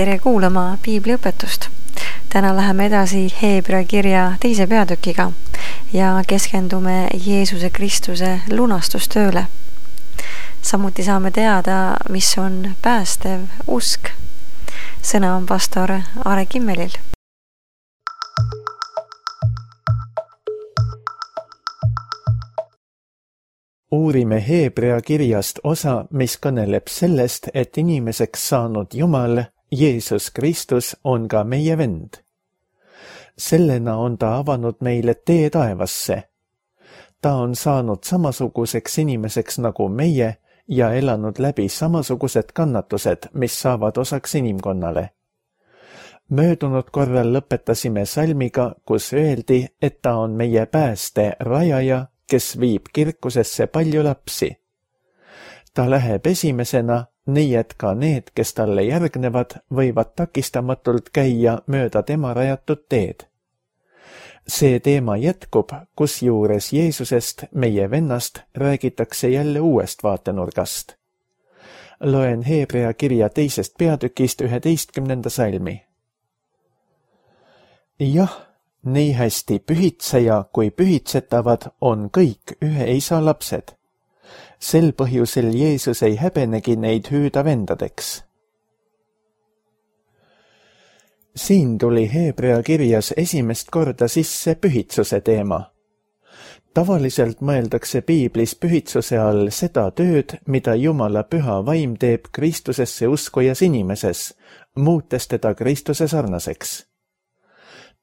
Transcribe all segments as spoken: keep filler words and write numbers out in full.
tere kuulama piibliõpetust. Täna läheme edasi Heebrea kirja teise peatükiga ja keskendume Jeesuse Kristuse lunastustööle. Samuti saame teada, mis on päästev usk. Sõna on pastor Are Kimmelil. Uurime Heebrea kirjast osa, mis kõneleb sellest, et inimeseks saanud Jumal, Jeesus Kristus, on ka meie vend. Sellena on ta avanud meile tee taevasse. Ta on saanud samasuguseks inimeseks nagu meie ja elanud läbi samasugused kannatused, mis saavad osaks inimkonnale. Möödunud korral lõpetasime salmiga, kus öeldi, et ta on meie pääste rajaja, kes viib kirkusesse palju lapsi. Ta läheb esimesena, nii et ka need, kes talle järgnevad, võivad takistamatult käia mööda tema rajatud teed. See teema jätkub, kus juures Jeesusest, meie vennast, räägitakse jälle uuest vaatenurgast. Loen Heebrea kirja teisest peatükist üheteistkümnenda salmi. Jah, nii hästi pühitseja kui pühitsetavad on kõik ühe isa lapsed. Sel põhjusel Jeesus ei häbenegi neid hüüda vendadeks. Siin tuli Heebrea kirjas esimest korda sisse pühitsuse teema. Tavaliselt mõeldakse piiblis pühitsuse all seda tööd, mida Jumala püha vaim teeb Kristusesse uskujas inimeses, muutes teda Kristuse sarnaseks.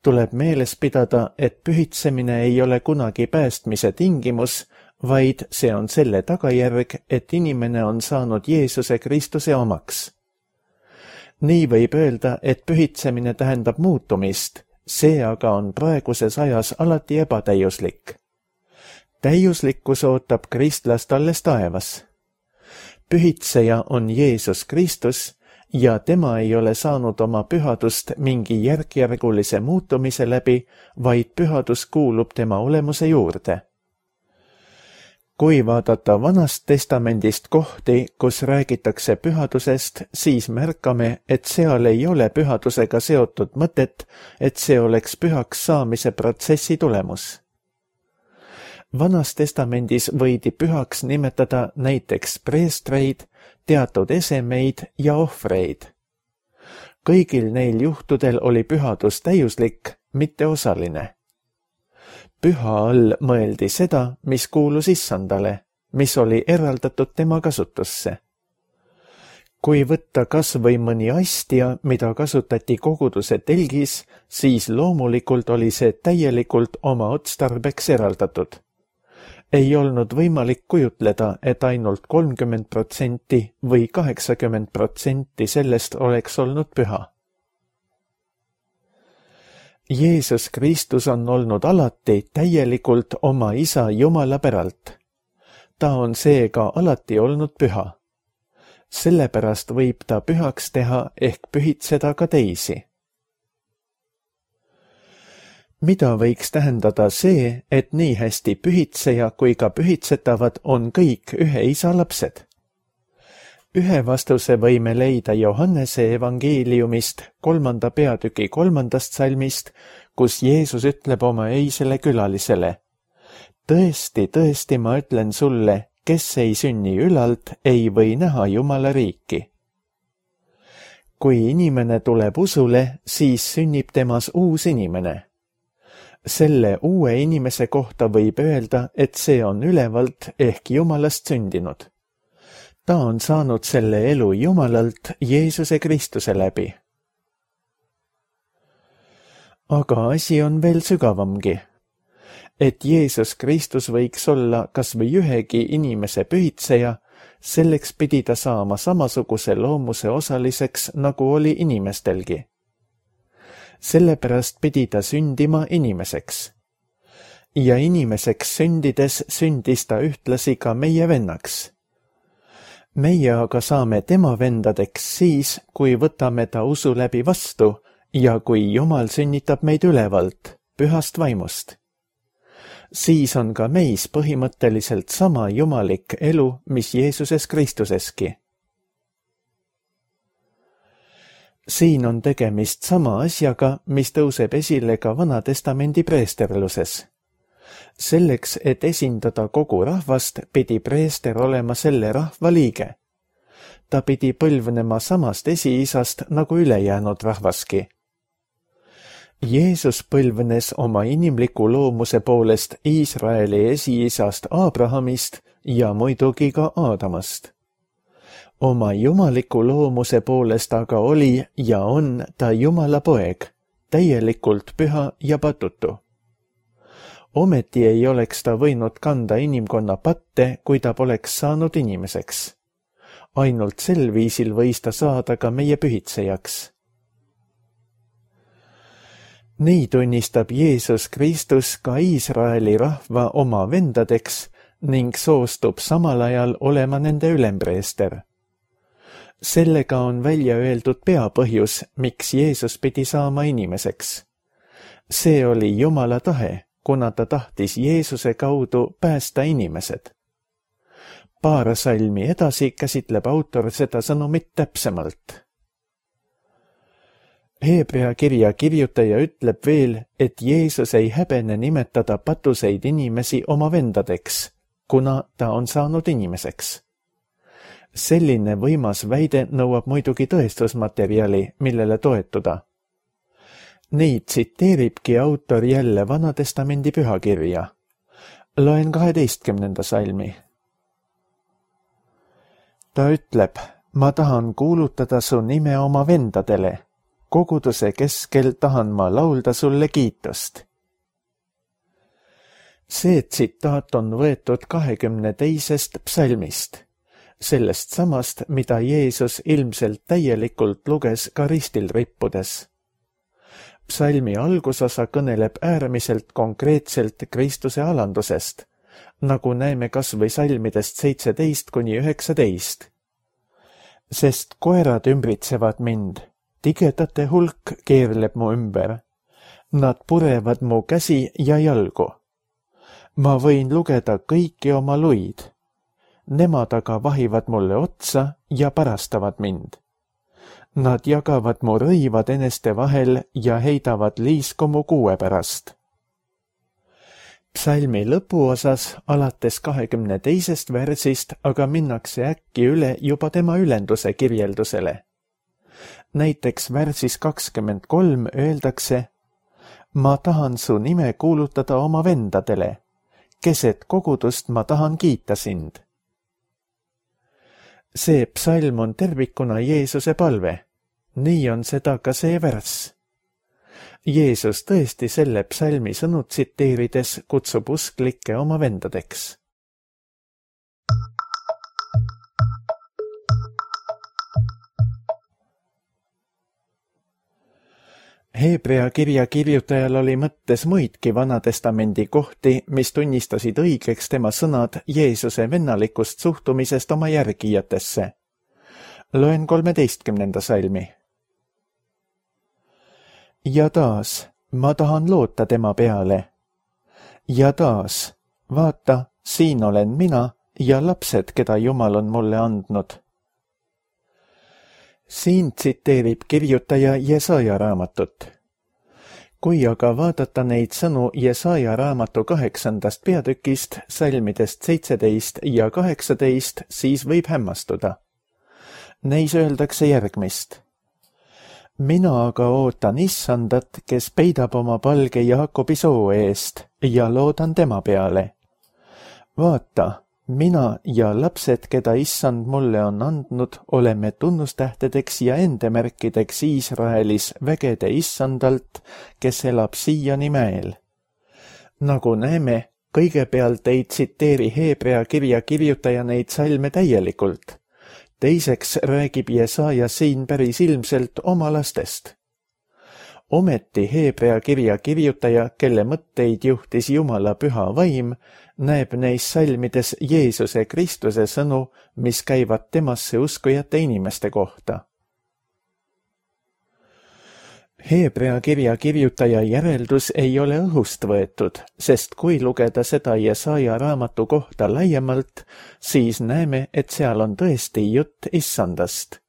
Tuleb meeles pidada, et pühitsemine ei ole kunagi päästmise tingimus, vaid see on selle tagajärg, et inimene on saanud Jeesuse Kristuse omaks. Nii võib öelda, et pühitsemine tähendab muutumist, see aga on praeguses ajas alati ebatäiuslik. Täiuslikkus ootab kristlast alles taevas. Pühitseja on Jeesus Kristus, ja tema ei ole saanud oma pühadust mingi järkjärgulise muutumise läbi, vaid pühadus kuulub tema olemuse juurde. Kui vaadata Vanast Testamendist kohti, kus räägitakse pühadusest, siis märkame, et seal ei ole pühadusega seotud mõtet, et see oleks pühaks saamise protsessi tulemus. Vanas Testamendis võidi pühaks nimetada näiteks preestreid, teatud esemeid ja ohvreid. Kõigil neil juhtudel oli pühadus täiuslik, mitte osaline. Püha all mõeldi seda, mis kuulus issandale, mis oli eraldatud tema kasutusse. Kui võtta kas või mõni astia, mida kasutati koguduse telgis, siis loomulikult oli see täielikult oma otstarbeks eraldatud. Ei olnud võimalik kujutleda, et ainult kolmkümmend protsenti või kaheksakümmend protsenti sellest oleks olnud püha. Jeesus Kristus on olnud alati täielikult oma isa Jumala päralt. Ta on seega alati olnud püha. Sellepärast võib ta pühaks teha ehk pühitseda ka teisi. Mida võiks tähendada see, et nii hästi pühitseja kui ka pühitsetavad on kõik ühe isa lapsed? Ühe vastuse võime leida Johannese evangeeliumist kolmanda peatüki kolmandast salmist, kus Jeesus ütleb oma öisele külalisele: Tõesti, tõesti, ma ütlen sulle, kes ei sünni ülalt, ei või näha Jumala riiki. Kui inimene tuleb usule, siis sünnib temas uus inimene. Selle uue inimese kohta võib öelda, et see on ülevalt ehk Jumalast sündinud. Ta on saanud selle elu Jumalalt Jeesuse Kristuse läbi. Aga asi on veel sügavamgi. Et Jeesus Kristus võiks olla kas või ühegi inimese pühitseja, selleks pidi ta saama samasuguse loomuse osaliseks, nagu oli inimestelgi. Sellepärast pidi ta sündima inimeseks. Ja inimeseks sündides sündis ta ühtlasi ka meie vennaks. Meie aga saame tema vendadeks siis, kui võtame ta usu läbi vastu ja kui Jumal sünnitab meid ülevalt, pühast vaimust. Siis on ka meis põhimõtteliselt sama jumalik elu, mis Jeesuses Kristuseski. siin on tegemist sama asjaga, mis tõuseb esile ka Vana-testamendi preesterluses. Selleks, et esindada kogu rahvast, pidi preester olema selle rahva liige. Ta pidi põlvnema samast esiisast nagu ülejäänud rahvaski. Jeesus põlvnes oma inimliku loomuse poolest Iisraeli esiisast Abrahamist ja muidugi ka Aadamast. Oma jumaliku loomuse poolest aga oli ja on ta Jumala poeg, täielikult püha ja patutu. Ometi ei oleks ta võinud kanda inimkonna patte, kui ta poleks saanud inimeseks. Ainult sel viisil võis ta saada ka meie pühitsejaks. Nii tunnistab Jeesus Kristus ka Iisraeli rahva oma vendadeks ning soostub samal ajal olema nende ülempreester. Sellega on välja öeldud peapõhjus, miks Jeesus pidi saama inimeseks. See oli Jumala tahe, kuna ta tahtis Jeesuse kaudu päästa inimesed. Paar salmi edasi käsitleb autor seda sõnumit täpsemalt. Heebrea kirja kirjutaja ütleb veel, et Jeesus ei häbene nimetada patuseid inimesi oma vendadeks, kuna ta on saanud inimeseks. Selline võimas väide nõuab muidugi tõestusmaterjali, millele toetuda. Neid tsiteeribki autor jälle Vana-testamendi pühakirja. Loen kaheteistkümnenda salmi. Ta ütleb, ma tahan kuulutada su nime oma vendadele. Koguduse keskel tahan ma laulda sulle kiitust. See tsitaat on võetud kahekümne teisest psalmist, sellest samast, mida Jeesus ilmselt täielikult luges ka ristil rippudes. Psalmi algusosa kõneleb äärmiselt konkreetselt Kristuse alandusest, nagu näeme kas või salmidest seitseteist kuni üheksateist. Sest koerad ümbritsevad mind, tigedate hulk keerleb mu ümber. Nad purevad mu käsi ja jalgu. Ma võin lugeda kõiki oma luid. Nemad aga vahivad mulle otsa ja parastavad mind. Nad jagavad mu rõivad eneste vahel ja heidavad liisku mu kuue pärast. Psalmi lõpuosas alates kahekümne teisest versist aga minnakse äkki üle juba tema ülenduse kirjeldusele. Näiteks värsis kakskümmend kolm öeldakse, ma tahan su nime kuulutada oma vendadele, keset kogudust ma tahan kiita sind. See psalm on tervikuna Jeesuse palve. Nii on seda ka see värss. Jeesus tõesti selle psalmi sõnu tsiteerides kutsub usklikke oma vendadeks. Heebrea kirja kirjutajal oli mõttes muidki Vana-testamendi kohti, mis tunnistasid õigeks tema sõnad Jeesuse vennalikust suhtumisest oma järgijatesse. Loen kolmeteistkümnenda salmi. Ja taas, ma tahan loota tema peale. Ja taas, vaata, siin olen mina ja lapsed, keda Jumal on mulle andnud. Siin tsiteerib kirjutaja Jesaja raamatut. Kui aga vaadata neid sõnu Jesaja raamatu kaheksandast peatükist, salmidest seitseteist ja kaheksateist, siis võib hämmastuda. Neis öeldakse järgmist. Mina aga ootan issandat, kes peidab oma palge Jaakobi soo eest ja loodan tema peale. Vaata, mina ja lapsed, keda issand mulle on andnud, oleme tunnustähtedeks ja endemärkideks Iisraelis vägede issandalt, kes elab siiani mäel. Nagu näeme, kõigepealt ei tsiteeri Heebrea kirja kirjutaja neid salme täielikult. Teiseks räägib Jesaja siin päris ilmselt oma lastest. Ometi Heebrea kirja kirjutaja, kelle mõtteid juhtis Jumala püha vaim, näeb neis salmides Jeesuse Kristuse sõnu, mis käivad temasse uskujate inimeste kohta. Heebrea kirja kirjutaja järeldus ei ole õhust võetud, sest kui lugeda seda Jesaja raamatu kohta laiemalt, siis näeme, et seal on tõesti jutt issandast.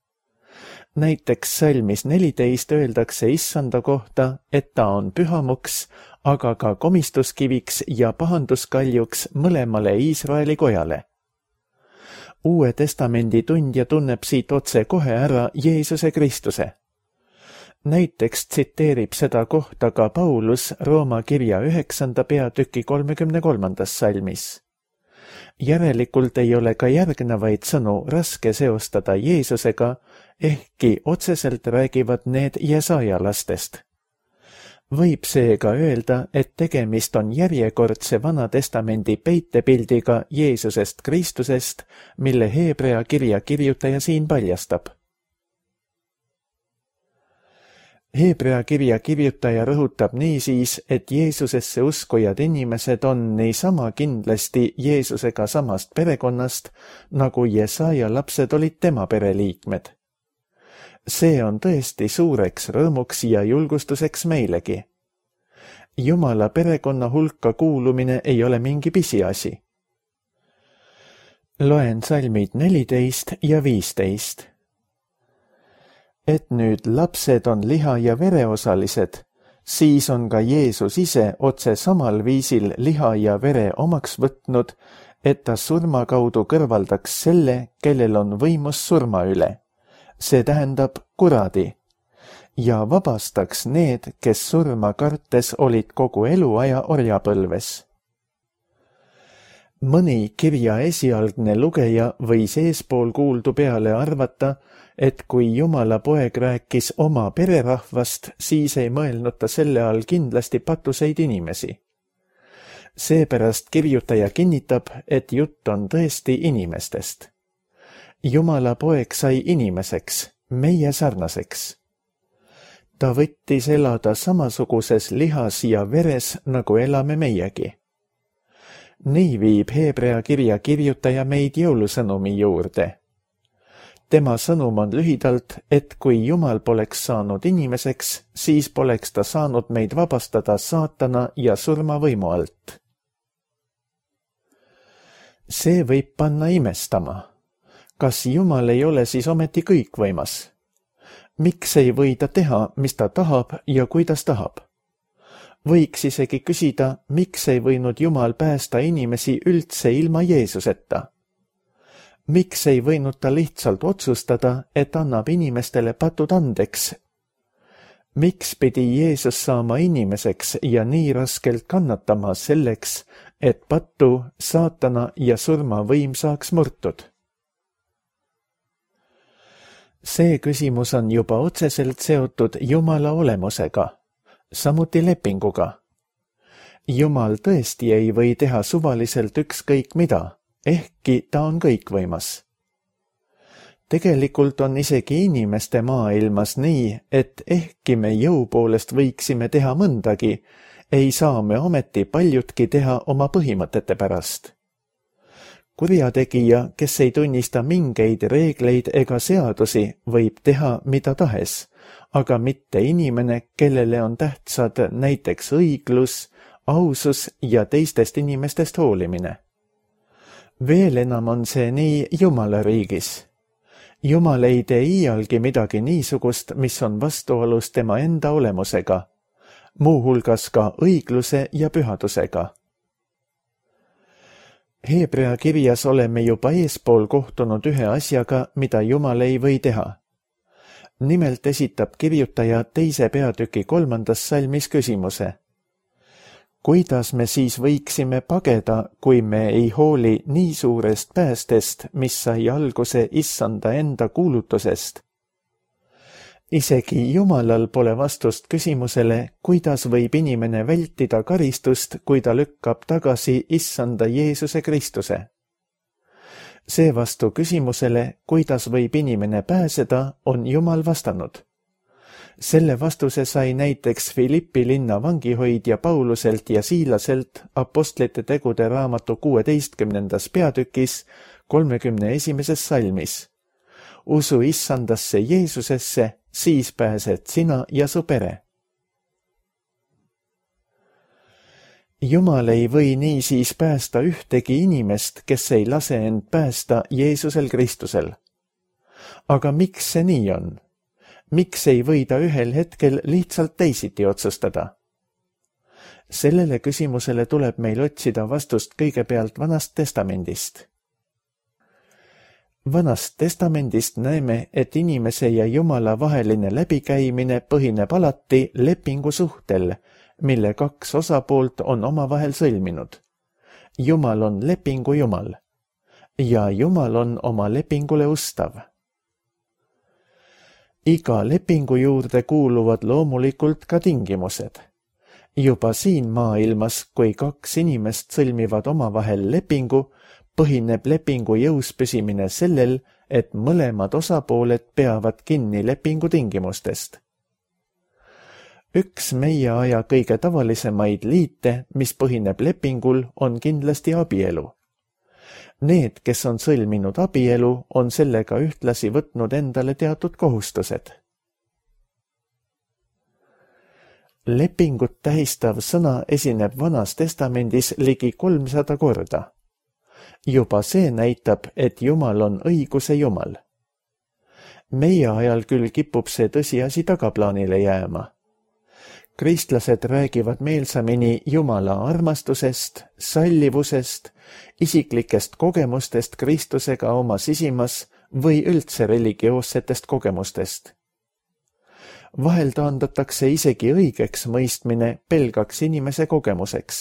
Näiteks salmis neliteist öeldakse issanda kohta, et ta on pühamuks, aga ka komistuskiviks ja pahanduskaljuks mõlemale Iisraeli kojale. Uue testamendi tundja tunneb siit otse kohe ära Jeesuse Kristuse. Näiteks tsiteerib seda kohta ka Paulus Rooma kirja üheksanda peatüki kolmekümne kolmandas salmis. Järelikult ei ole ka järgnevaid sõnu raske seostada Jeesusega, ehkki otseselt räägivad need Jesaja lastest. Võib seega öelda, et tegemist on järjekordse Vana Testamendi peitepildiga Jeesusest Kristusest, mille Heebrea kirja kirjutaja siin paljastab. Heebrea kirja kirjutaja rõhutab niisiis, et Jeesusesse uskujad inimesed on niisama kindlasti Jeesusega samast perekonnast, nagu Jesaja lapsed olid tema pereliikmed. See on tõesti suureks rõõmuks ja julgustuseks meilegi. Jumala perekonna hulka kuulumine ei ole mingi pisiasi. Loen salmid neliteist ja viisteist. Et nüüd lapsed on liha ja vereosalised, siis on ka Jeesus ise otse samal viisil liha ja vere omaks võtnud, et ta surma kaudu kõrvaldaks selle, kellel on võimus surma üle, see tähendab kuradi, ja vabastaks need, kes surma kartes olid kogu eluaja orjapõlves. Mõni kirja esialgne lugeja võis eespool kuuldu peale arvata, et kui Jumala poeg rääkis oma pererahvast, siis ei mõelnud ta selle all kindlasti patuseid inimesi. Seepärast kirjutaja kinnitab, et jutt on tõesti inimestest. Jumala poeg sai inimeseks, meie sarnaseks. Ta võttis elada samasuguses lihas ja veres, nagu elame meiegi. Nii viib Heebrea kirja kirjutaja meid jõulusõnumi juurde. Tema sõnum on lühidalt, et kui Jumal poleks saanud inimeseks, siis poleks ta saanud meid vabastada saatana ja surmavõimu alt. See võib panna imestama. Kas Jumal ei ole siis ometi kõikvõimas? Miks ei või ta teha, mis ta tahab ja kuidas tahab? Võiks isegi küsida, miks ei võinud Jumal päästa inimesi üldse ilma Jeesuseta? Miks ei võinud ta lihtsalt otsustada, et annab inimestele patud andeks? Miks pidi Jeesus saama inimeseks ja nii raskelt kannatama selleks, et patu, saatana ja surma võim saaks murtud? See küsimus on juba otseselt seotud Jumala olemusega, samuti lepinguga. Jumal tõesti ei või teha suvaliselt ükskõik mida, ehkki ta on kõikvõimas. Tegelikult on isegi inimeste maailmas nii, et ehkki me jõu poolest võiksime teha mõndagi, ei saa me ometi paljutki teha oma põhimõtete pärast. Kurjategija, kes ei tunnista mingeid reegleid ega seadusi, võib teha mida tahes, aga mitte inimene, kellele on tähtsad näiteks õiglus, ausus ja teistest inimestest hoolimine. Veel enam on see nii Jumala riigis. Jumal ei tee iialgi midagi niisugust, mis on vastuolus tema enda olemusega, muuhulgas ka õigluse ja pühadusega. Heebrea kirjas oleme juba eespool kohtunud ühe asjaga, mida Jumal ei või teha. Nimelt esitab kirjutaja teise peatüki kolmandas salmis küsimuse. Kuidas me siis võiksime pageda, kui me ei hooli nii suurest päästest, mis sai alguse issanda enda kuulutusest? Isegi Jumalal pole vastust küsimusele, kuidas võib inimene vältida karistust, kui ta lükkab tagasi issanda Jeesuse Kristuse. Seevastu küsimusele, kuidas võib inimene pääseda, on Jumal vastanud. Selle vastuse sai näiteks Filippi linna vangihoidja Pauluselt ja Siilaselt apostlite tegude raamatu kuueteistkümnendas peatükis kolmekümne esimeses salmis. Usu issandasse Jeesusesse, siis pääsed sina ja su pere. Jumal ei või niisiis päästa ühtegi inimest, kes ei lase end päästa Jeesusel Kristusel. Aga miks see nii on? miks ei või ta ühel hetkel lihtsalt teisiti otsustada? Sellele küsimusele tuleb meil otsida vastust kõigepealt Vanast Testamendist. Vanast Testamendist näeme, et inimese ja Jumala vaheline läbikäimine põhineb alati lepingusuhtel, mille kaks osapoolt on omavahel sõlminud. Jumal on lepingu Jumal ja Jumal on oma lepingule ustav. Iga lepingu juurde kuuluvad loomulikult ka tingimused. Juba siin maailmas, kui kaks inimest sõlmivad omavahel lepingu, põhineb lepingu jõus püsimine sellel, et mõlemad osapooled peavad kinni lepingu tingimustest. Üks meie aja kõige tavalisemaid liite, mis põhineb lepingul, on kindlasti abielu. Need, kes on sõlminud abielu, on sellega ühtlasi võtnud endale teatud kohustused. Lepingut tähistav sõna esineb Vanas Testamendis ligi kolmsada korda. Juba see näitab, et Jumal on õiguse Jumal. Meie ajal küll kipub see tõsiasi tagaplaanile jääma. Kristlased räägivad meelsamini Jumala armastusest, sallivusest, isiklikest kogemustest Kristusega oma sisimas või üldse religioossetest kogemustest. Vahel taandatakse isegi õigeks mõistmine pelgaks inimese kogemuseks.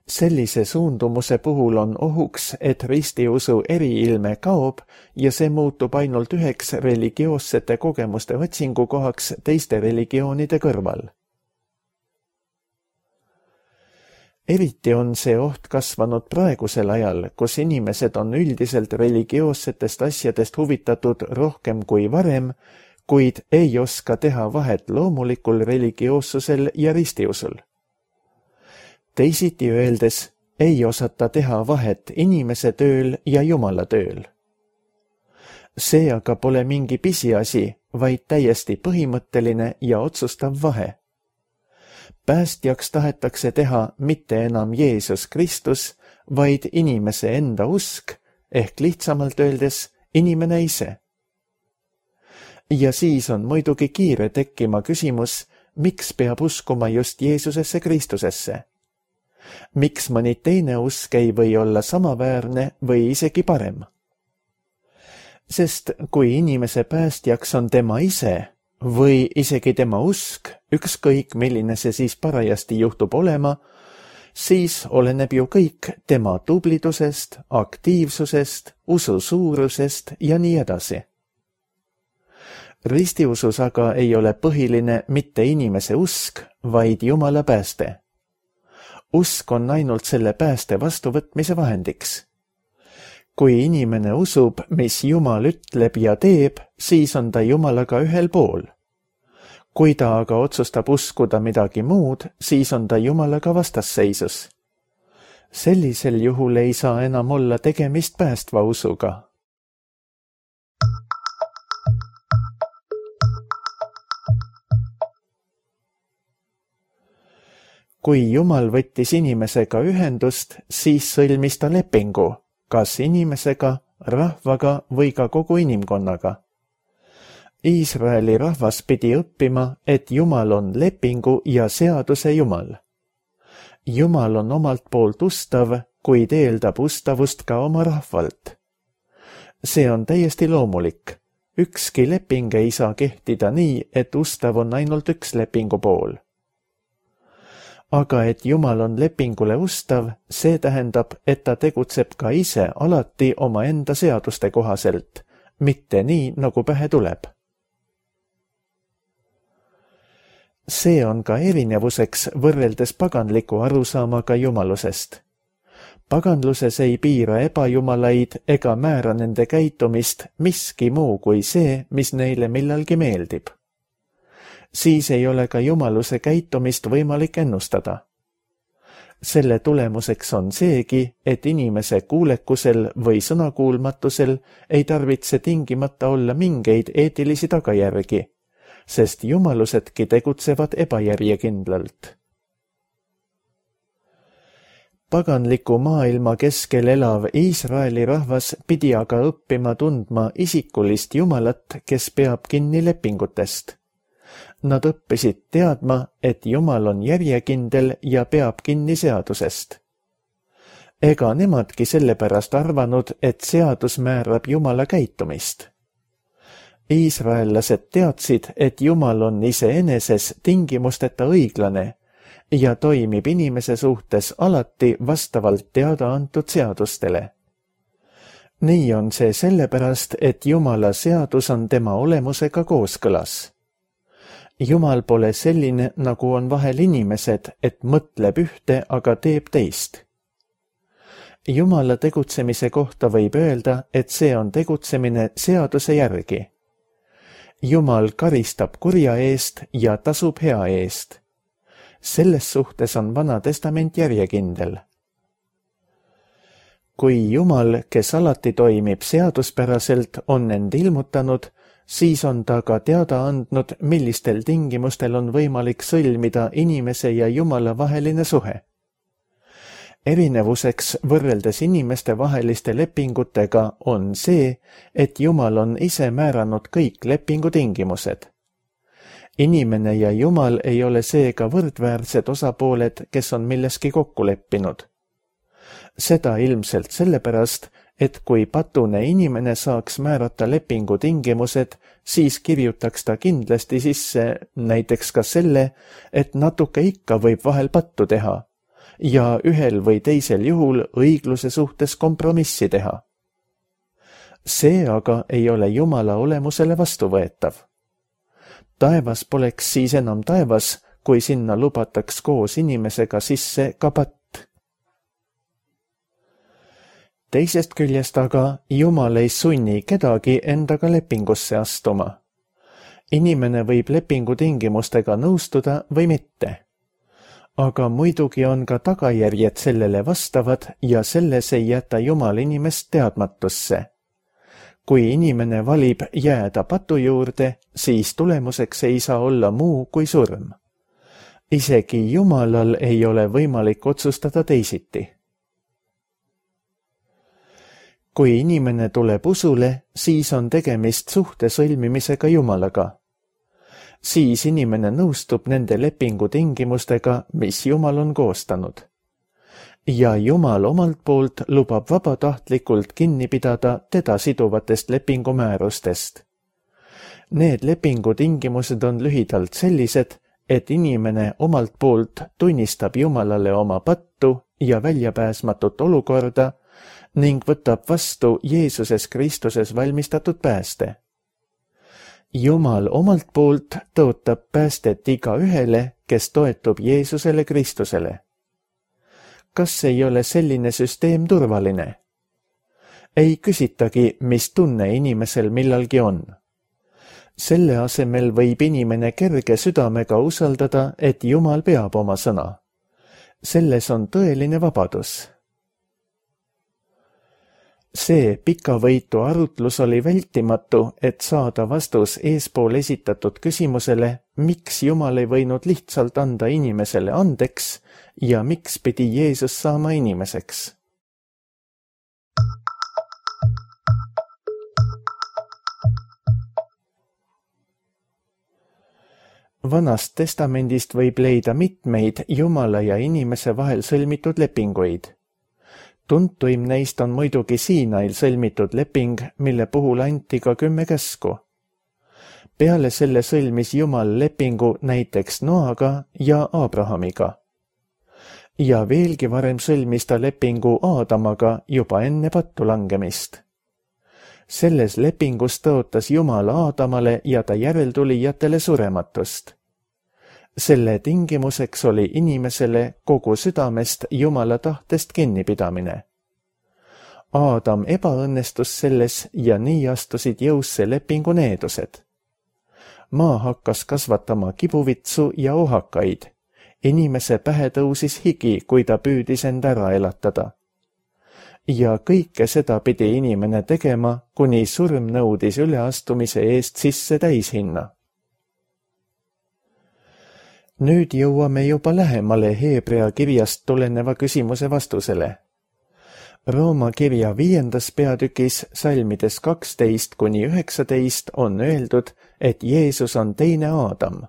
Sellise suundumuse puhul on ohuks, et ristiusu eriilme kaob ja see muutub ainult üheks religioossete kogemuste otsingukohaks teiste religioonide kõrval. Eriti on see oht kasvanud praegusel ajal, kus inimesed on üldiselt religioossetest asjadest huvitatud rohkem kui varem, kuid ei oska teha vahet loomulikul religioossusel ja ristiusul. Teisiti öeldes, ei osata teha vahet inimese tööl ja Jumala tööl. See aga pole mingi pisiasi, vaid täiesti põhimõtteline ja otsustav vahe. Päästjaks tahetakse teha mitte enam Jeesus Kristus, vaid inimese enda usk, ehk lihtsamalt öeldes inimene ise. Ja siis on muidugi kiire tekkima küsimus, miks peab uskuma just Jeesusesse Kristusesse? Miks mõni teine usk ei või olla samaväärne või isegi parem? Sest kui inimese päästjaks on tema ise või isegi tema usk, ükskõik milline see siis parajasti juhtub olema, siis oleneb ju kõik tema tublidusest, aktiivsusest, usu suurusest ja nii edasi. Ristiusus aga ei ole põhiline mitte inimese usk, vaid Jumala pääste. Usk on ainult selle pääste vastuvõtmise vahendiks. Kui inimene usub, mis Jumal ütleb ja teeb, siis on ta Jumalaga ühel pool. Kui ta aga otsustab uskuda midagi muud, siis on ta Jumalaga vastasseisus. Sellisel juhul ei saa enam olla tegemist päästva usuga. Kui Jumal võttis inimesega ühendust, siis sõlmis ta lepingu, kas inimesega, rahvaga või ka kogu inimkonnaga. Iisraeli rahvas pidi õppima, et Jumal on lepingu ja seaduse Jumal. Jumal on omalt poolt ustav, kuid eeldab ustavust ka oma rahvalt. See on täiesti loomulik. Ükski leping ei saa kehtida nii, et ustav on ainult üks lepingu pool. Aga et Jumal on lepingule ustav, see tähendab, et ta tegutseb ka ise alati oma enda seaduste kohaselt, mitte nii, nagu pähe tuleb. See on ka erinevuseks võrreldes paganliku arusaamaga jumalusest. Paganluses ei piira ebajumalaid ega määra nende käitumist miski muu kui see, mis neile millalgi meeldib. Siis ei ole ka jumaluse käitumist võimalik ennustada. Selle tulemuseks on seegi, et inimese kuulekusel või sõnakuulmatusel ei tarvitse tingimata olla mingeid eetilisi tagajärgi, sest jumalusedki tegutsevad ebajärjekindlalt. paganliku maailma keskel elav Iisraeli rahvas pidi aga õppima tundma isikulist Jumalat, kes peab kinni lepingutest. Nad õppisid teadma, et Jumal on järjekindel ja peab kinni seadusest. Ega nemadki sellepärast arvanud, et seadus määrab Jumala käitumist. Iisraellased teadsid, et Jumal on iseeneses tingimusteta õiglane ja toimib inimese suhtes alati vastavalt teada antud seadustele. Nii on see sellepärast, et Jumala seadus on tema olemusega kooskõlas. Jumal pole selline, nagu on vahel inimesed, et mõtleb ühte, aga teeb teist. Jumala tegutsemise kohta võib öelda, et see on tegutsemine seaduse järgi. Jumal karistab kurja eest ja tasub hea eest. Selles suhtes on Vana Testament järjekindel. Kui Jumal, kes alati toimib seaduspäraselt, on end ilmutanud, siis on ta ka teada andnud, millistel tingimustel on võimalik sõlmida inimese ja Jumala vaheline suhe. Erinevuseks võrreldes inimeste vaheliste lepingutega on see, et Jumal on ise määranud kõik lepingutingimused. Inimene ja Jumal ei ole seega võrdväärsed osapooled, kes on milleski kokku leppinud. Seda ilmselt sellepärast, et kui patune inimene saaks määrata lepingutingimused, siis kirjutaks ta kindlasti sisse näiteks ka selle, et natuke ikka võib vahel pattu teha ja ühel või teisel juhul õigluse suhtes kompromissi teha. See aga ei ole Jumala olemusele vastuvõetav. Taevas poleks siis enam taevas, kui sinna lubataks koos inimesega sisse ka patt. Teisest küljest aga Jumal ei sunni kedagi endaga lepingusse astuma. Inimene võib lepingutingimustega nõustuda või mitte. Aga muidugi on ka tagajärjed sellele vastavad ja selles ei jäta Jumal inimest teadmatusse. Kui inimene valib jääda patu juurde, siis tulemuseks ei saa olla muu kui surm. Isegi Jumalal ei ole võimalik otsustada teisiti. Kui inimene tuleb usule, siis on tegemist suhte sõlmimisega Jumalaga. Siis inimene nõustub nende lepingutingimustega, mis Jumal on koostanud. Ja Jumal omalt poolt lubab vabatahtlikult kinni pidada teda siduvatest lepingumäärustest. Need lepingutingimused on lühidalt sellised, et inimene omalt poolt tunnistab Jumalale oma pattu ja väljapääsmatut olukorda ning võtab vastu Jeesuses Kristuses valmistatud pääste. Jumal omalt poolt tõotab päästet iga ühele, kes toetub Jeesusele Kristusele. Kas ei ole selline süsteem turvaline? Ei küsitagi, mis tunne inimesel millalgi on. Selle asemel võib inimene kerge südamega usaldada, et Jumal peab oma sõna. Selles on tõeline vabadus. See pikavõitu arutlus oli vältimatu, et saada vastus eespool esitatud küsimusele, miks Jumal ei võinud lihtsalt anda inimesele andeks ja miks pidi Jeesus saama inimeseks. Vanast testamendist võib leida mitmeid Jumala ja inimese vahel sõlmitud lepinguid. Tuntuim neist on muidugi Siinail sõlmitud leping, mille puhul anti ka kümme käsku. Peale selle sõlmis Jumal lepingu näiteks Noaga ja Abrahamiga. Ja veelgi varem sõlmis ta lepingu Aadamaga juba enne pattu langemist. Selles lepingus tõotas Jumal Aadamale ja ta järeltulijatele surematust. Selle tingimuseks oli inimesele kogu südamest Jumala tahtest kinnipidamine. Aadam ebaõnnestus selles ja nii astusid jõusse lepingu needused. Maa hakkas kasvatama kibuvitsu ja ohakaid. Inimese pähe tõusis higi, kui ta püüdis end ära elatada. Ja kõike seda pidi inimene tegema, kuni surm nõudis üleastumise eest sisse täishinna. Nüüd jõuame juba lähemale Heebrea kirjast tuleneva küsimuse vastusele. Rooma kirja viiendas peatükis salmides kaksteist kuni üheksateist on öeldud, et Jeesus on teine Aadam.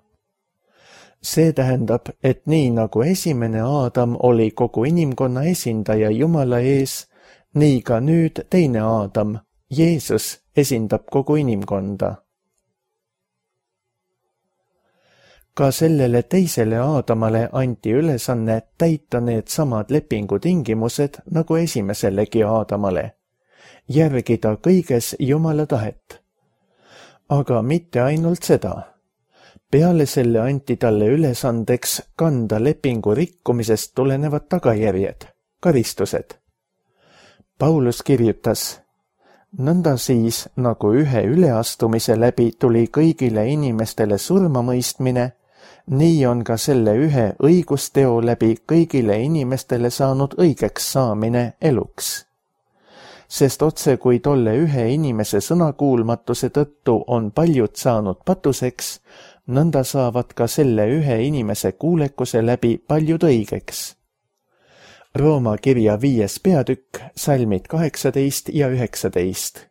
See tähendab, et nii nagu esimene Aadam oli kogu inimkonna esindaja Jumala ees, nii ka nüüd teine Aadam, Jeesus, esindab kogu inimkonda. Ka sellele teisele Aadamale anti ülesanne täita need samad lepingutingimused nagu esimesellegi Aadamale, järgida kõiges Jumala tahet. Aga mitte ainult seda. Peale selle anti talle ülesandeks kanda lepingu rikkumisest tulenevad tagajärjed, karistused. Paulus kirjutas, nõnda siis, nagu ühe üleastumise läbi tuli kõigile inimestele surmamõistmine, nii on ka selle ühe õigusteo läbi kõigile inimestele saanud õigeks saamine eluks. Sest otse kui tolle ühe inimese sõnakuulmatuse tõttu on paljud saanud patuseks, nõnda saavad ka selle ühe inimese kuulekuse läbi paljud õigeks. Rooma kirja viies peatükk, salmid kaheksateist ja üheksateist.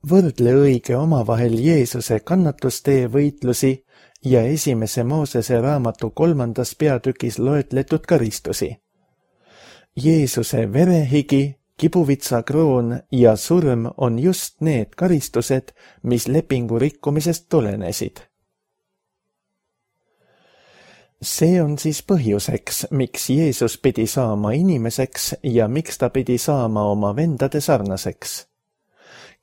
Võrdle õige omavahel Jeesuse kannatustee võitlusi ja esimese Moosese raamatu kolmandas peatükis loetletud karistusi. Jeesuse verehigi, kibuvitsakroon ja surm on just need karistused, mis lepingu rikkumisest tulenesid. See on siis põhjuseks, miks Jeesus pidi saama inimeseks ja miks ta pidi saama oma vendade sarnaseks.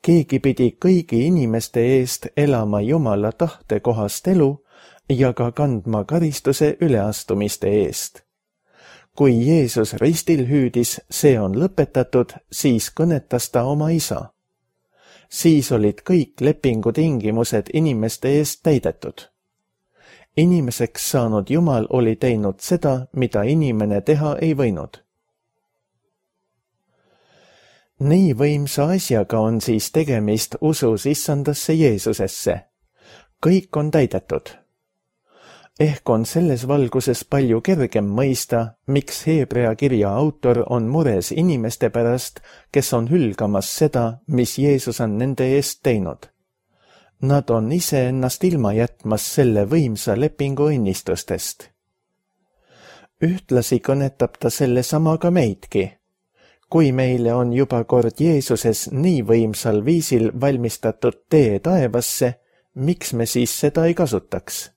Keegi pidi kõigi inimeste eest elama Jumala tahte kohast elu ja ka kandma karistuse üleastumiste eest. Kui Jeesus ristil hüüdis, see on lõpetatud, siis kõnetas ta oma isa. Siis olid kõik lepingutingimused inimeste eest täidetud. Inimeseks saanud Jumal oli teinud seda, mida inimene teha ei võinud. Nii võimsa asjaga on siis tegemist usus issandasse Jeesusesse. Kõik on täidetud. Ehk on selles valguses palju kergem mõista, miks Heebrea kirja autor on mures inimeste pärast, kes on hülgamas seda, mis Jeesus on nende eest teinud. Nad on ise ennast ilma jätmas selle võimsa lepingu õnnistustest. Ühtlasi kõnetab ta selle sama ka meidki. Kui meile on juba kord Jeesuses nii võimsal viisil valmistatud tee taevasse, miks me siis seda ei kasutaks?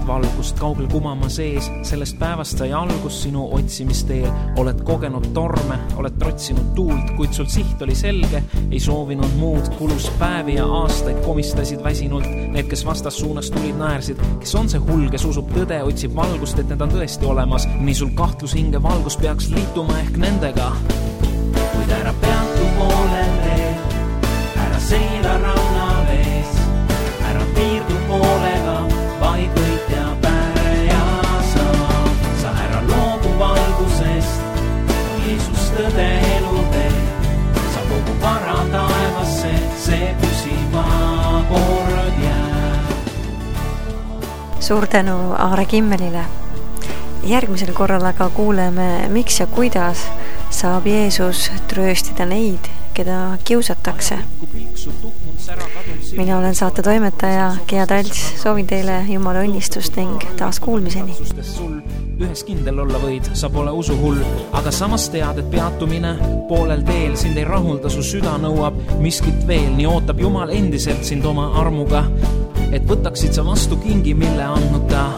Valgust kaugel kumama sees, sellest päevast sai algus sinu otsimisteel. Oled kogenud torme, oled trotsinud tuult, kuid sul siht oli selge, ei soovinud muud. Kulus päevi ja aastaid komistasid väsinult. Need, kes vastas suunas tulid, naersid. Kes on see hull, kes usub tõde, otsib valgust, et need on tõesti olemas. Nii sul kahtlus hinge valgus peaks liituma ehk nendega. Kuid ära peatu poolel veel, ära seila ranna vees, ära piirdu poolega, vaid võit ja päre ja sa. Sa ära loobu valgusest, Jeesus tõde elu teeb. Sa kogu vara taevasse, see püsiva kord jääb. Suur tänu Aare Kimmelile. Järgmisel korral aga kuuleme, miks ja kuidas saab Jeesus trööstida neid, keda kiusatakse. Mina olen saate toimetaja Gea Talts, soovin teile Jumala õnnistust ning taas kuulmiseni. Ühes kindel olla võid, sa pole usuhull, aga samas tead, et peatumine poolel teel sind ei rahulda, su süda nõuab miskit veel, nii ootab Jumal endiselt sind oma armuga, et võtaksid sa vastu kingi, mille andnud ta.